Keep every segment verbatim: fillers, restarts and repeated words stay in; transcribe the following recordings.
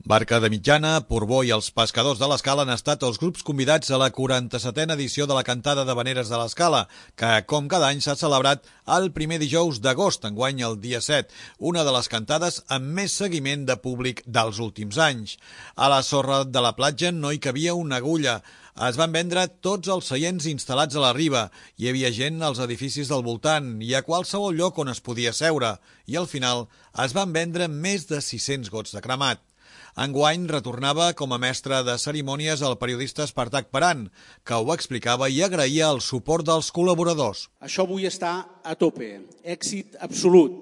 Barca de Mitjana, Portbou i els Pescadors de l'Escala han estat els grups convidats a la quaranta-setena edició de la Cantada d'Havaneres de l'Escala, que, com cada any, s'ha celebrat el primer dijous d'agost, enguany el dia set, una de les cantades amb més seguiment de públic dels últims anys. A la sorra de la platja no hi cabia una agulla. Es van vendre tots els seients instal·lats a la riba. Hi havia gent als edificis del voltant i a qualsevol lloc on es podia seure. I al final es van vendre més de sis-cents gots de cremat. Enguany retornava com a mestre de cerimònies el periodista Espartac Peran, que ho explicava i agraïa el suport dels col·laboradors. Això avui està a tope, èxit absolut.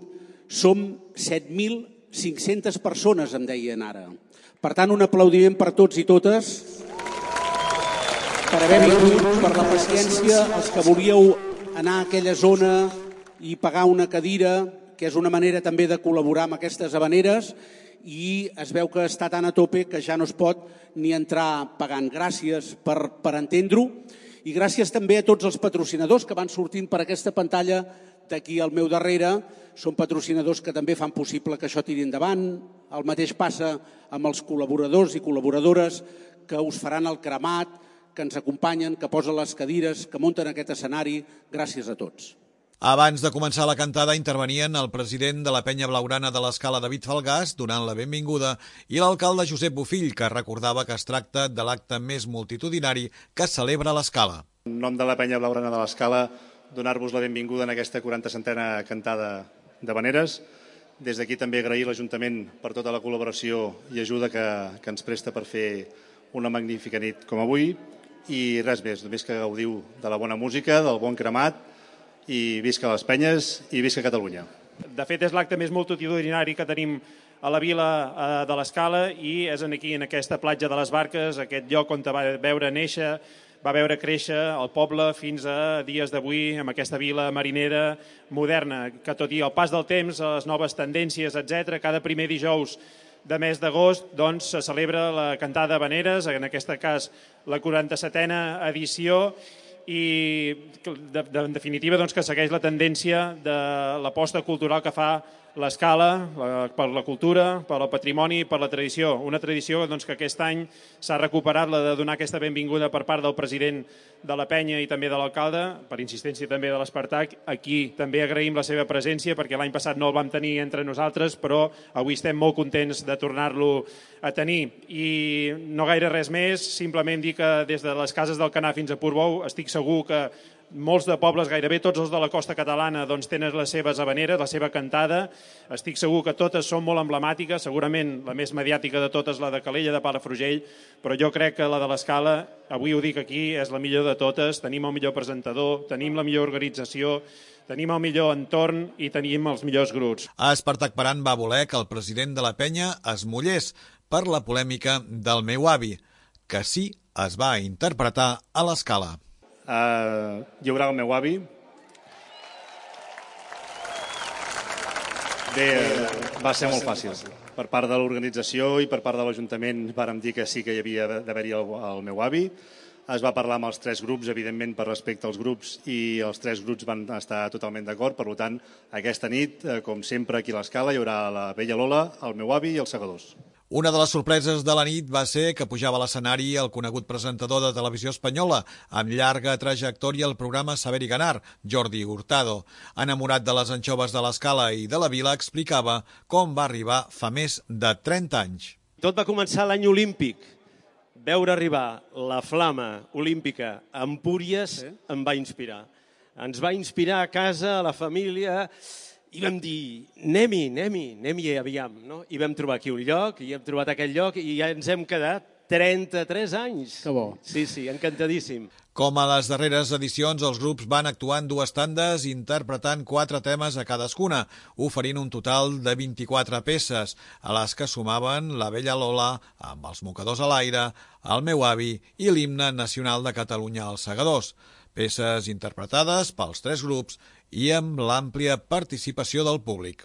Som set mil cinc-centes persones, em deien ara. Per tant, un aplaudiment per tots i totes, per haver vingut, per la paciència, els que volíeu anar a aquella zona i pagar una cadira, que és una manera també de col·laborar amb aquestes havaneres, i es veu que està tan a tope que ja no es pot ni entrar pagant. Gràcies per, per entendre-ho i gràcies també a tots els patrocinadors que van sortint per aquesta pantalla d'aquí al meu darrere. Són patrocinadors que també fan possible que això tiri endavant. El mateix passa amb els col·laboradors i col·laboradores que us faran el cremat, que ens acompanyen, que posen les cadires, que munten aquest escenari. Gràcies a tots. Abans de començar la cantada intervenien el president de la Penya Blaugrana de l'Escala, David Falgàs, donant la benvinguda, i l'alcalde Josep Bofill, que recordava que es tracta de l'acte més multitudinari que celebra l'Escala. En nom de la Penya Blaugrana de l'Escala, donar-vos la benvinguda en aquesta quaranta-setena cantada d'havaneres. Des d'aquí també agrair l'Ajuntament per tota la col·laboració i ajuda que, que ens presta per fer una magnífica nit com avui. I res més, només que gaudiu de la bona música, del bon cremat, i visca les Penyes i visca Catalunya. De fet, és l'acte més multitudinari que tenim a la vila de l'Escala i és aquí, en aquesta platja de les Barques, aquest lloc on va veure néixer, va veure créixer el poble fins a dies d'avui, amb aquesta vila marinera moderna, que tot i el pas del temps, les noves tendències, etcètera, cada primer dijous de mes d'agost doncs, se celebra la Cantada d'Havaneres, en aquest cas la quaranta-setena edició, i de, de, en definitiva doncs, que segueix la tendència de l'aposta cultural que fa l'Escala per la cultura, per el patrimoni i per la tradició. Una tradició doncs, que aquest any s'ha recuperat, la de donar aquesta benvinguda per part del president de la Penya i també de l'alcalde, per insistència també de l'Espartac. Aquí també agraïm la seva presència perquè l'any passat no el vam tenir entre nosaltres, però avui estem molt contents de tornar-lo a tenir. I no gaire res més, simplement dir que des de les cases del Canà fins a Portbou estic segur que molts de pobles, gairebé tots els de la costa catalana, doncs, tenen les seves havaneres, la seva cantada. Estic segur que totes són molt emblemàtiques, segurament la més mediàtica de totes, la de Calella de Palafrugell, però jo crec que la de l'Escala, avui ho dic aquí, és la millor de totes. Tenim el millor presentador, tenim la millor organització, tenim el millor entorn i tenim els millors grups. A Espartac Peran va voler que el president de la Penya es mullés per la polèmica del meu avi, que sí es va interpretar a l'Escala. Uh, lliurar el meu avi. Bé, va ser molt fàcil. Per part de l'organització i per part de l'Ajuntament vàrem dir que sí que hi havia d'haver-hi el, el meu avi. Es va parlar amb els tres grups, evidentment per respecte als grups, i els tres grups van estar totalment d'acord. Per tant, aquesta nit, com sempre aquí a l'Escala, hi haurà la vella Lola, el meu avi i els segadors. Una de les sorpreses de la nit va ser que pujava a l'escenari el conegut presentador de televisió espanyola, amb llarga trajectòria al programa Saber y Ganar, Jordi Hurtado. Enamorat de les anxoves de l'Escala i de la vila, explicava com va arribar fa més de trenta anys. Tot va començar l'any olímpic. Veure arribar la flama olímpica a Empúries sí. em va inspirar. Ens va inspirar a casa, a la família, i vam dir, anem-hi, anem-hi, anem-hi aviam. No? I vam trobar aquí un lloc, i hem trobat aquest lloc, i ja ens hem quedat trenta-tres anys. Que bo. Sí, sí, encantadíssim. Com a les darreres edicions, els grups van actuar en dues tandes interpretant quatre temes a cadascuna, oferint un total de vint-i-quatre peces, a les que sumaven La vella Lola, amb els mocadors a l'aire, El meu avi i l'himne nacional de Catalunya als segadors. Peces interpretades pels tres grups i amb l'àmplia participació del públic.